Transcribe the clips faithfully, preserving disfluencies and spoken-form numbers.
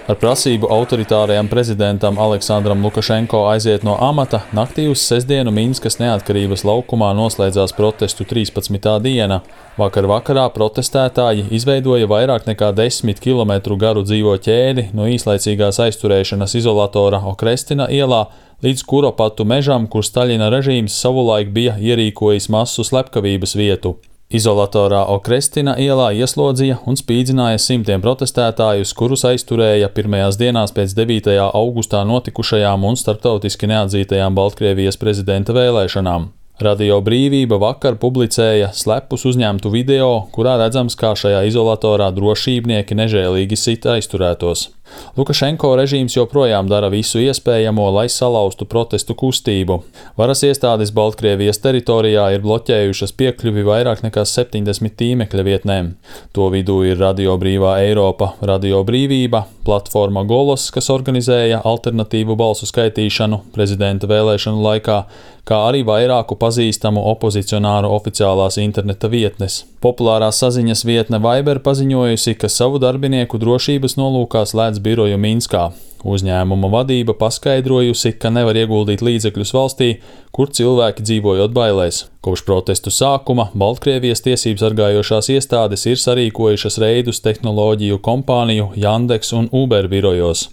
Ar prasību autoritārajam prezidentam Aleksandram Lukašenko aiziet no amata naktī uz sestdienu Minskas neatkarības laukumā noslēdzās protestu trīspadsmitā diena. Vakar vakarā protestētāji izveidoja vairāk nekā desmit kilometru garu dzīvo ķēdi no īslaicīgās aizturēšanas izolatora Okrestina ielā līdz Kuropatu mežam, kur Staļina režīms savulaik bija ierīkojis masu slepkavības vietu. Izolatorā Okrestina ielā ieslodzīja un spīdzināja simtiem protestētājus, kurus aizturēja pirmajās dienās pēc devītajā augustā notikušajām un starptautiski neatzītajām Baltkrievijas prezidenta vēlēšanām. Radio Brīvība vakar publicēja slepus uzņemtu video, kurā redzams, kā šajā izolatorā drošībnieki nežēlīgi sita aizturētos. Lukašenko režīms joprojām dara visu iespējamo, lai salauztu protestu kustību. Varas iestādes Baltkrievijas teritorijā ir bloķējušas piekļuvi vairāk nekā septiņdesmit tīmekļa vietnēm. To vidū ir Radio Brīvā Eiropa, Radio Brīvība, platforma Golos, kas organizēja alternatīvu balsu skaitīšanu prezidenta vēlēšanu laikā, kā arī vairāku pazīstamu opozicionāru oficiālās interneta vietnes. Populārā saziņas vietne Viber paziņojusi, ka savu darbinieku drošības nolūkā slēdz biroju Minskā. Uzņēmuma vadība paskaidrojusi, ka nevar ieguldīt līdzekļus valstī, kur cilvēki dzīvojot bailēs. Kopš protestu sākuma Baltkrievijas tiesības sargājošās iestādes ir sarīkojušas reidus tehnoloģiju kompāniju Yandex un Uber birojos.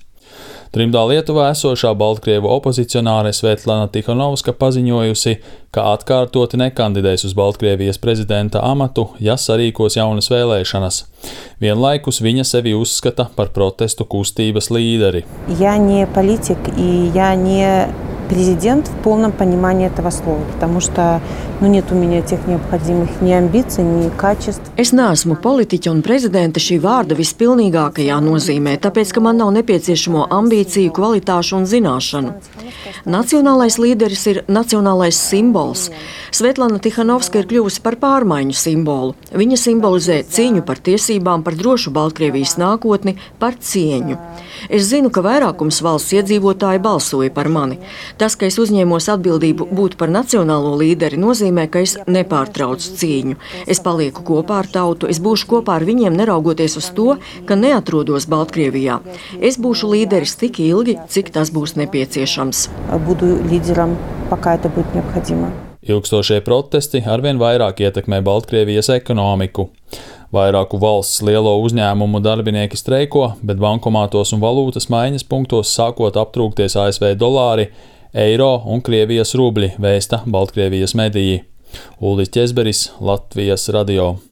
Trimdā Lietuvā esošā Baltkrievu opozicionāre Svetlana Tikhanovska paziņojusi, ka atkārtoti nekandidēs uz Baltkrievijas prezidenta amatu, ja sarīkos jaunas vēlēšanas. Vienlaikus viņa sevi uzskata par protestu kustības līderi. Я не политик и я не президент в полном понимании этого слова, потому что nu, нет у меня тех необходимых ни амбиций, ни качеств. Es neesmu politiķa un prezidenta šī vārda vispilnīgākajā nozīmē, tāpēc, ka man nav nepieciešamo ambīciju, kvalitāšu un zināšanu. Nacionālais līderis ir nacionālais simbols. Svetlana Tikhanovska ir kļuvusi par pārmaiņu simbolu. Viņa simbolizē cīņu par tiesībām, par drošu Baltkrievijas nākotni, par cieņu. Es zinu, ka vairākums valsts iedzīvotāji balsoja par mani. Tas, ka es uzņēmos atbildību būt par nacionālo līderi, nozīmē, ka es nepārtraucu cīņu. Es palieku kopā ar tautu, es būšu kopā ar viņiem, neraugoties uz to, ka neatrodos Baltkrievijā. Es būšu līderis tik ilgi, cik tas būs nepieciešams. Буду лидером, пока это будет необходимо. Ilgstošie protesti arvien vairāk ietekmē Baltkrievijas ekonomiku. Vairāku valsts lielo uzņēmumu darbinieki streiko, bet bankomātos un valūtas maiņas punktos sākot aptrūkties A S V dolāri, eiro un Krievijas rubļi, vēsta Baltkrievijas mediji. Ulris Ķezberis, Latvijas radio.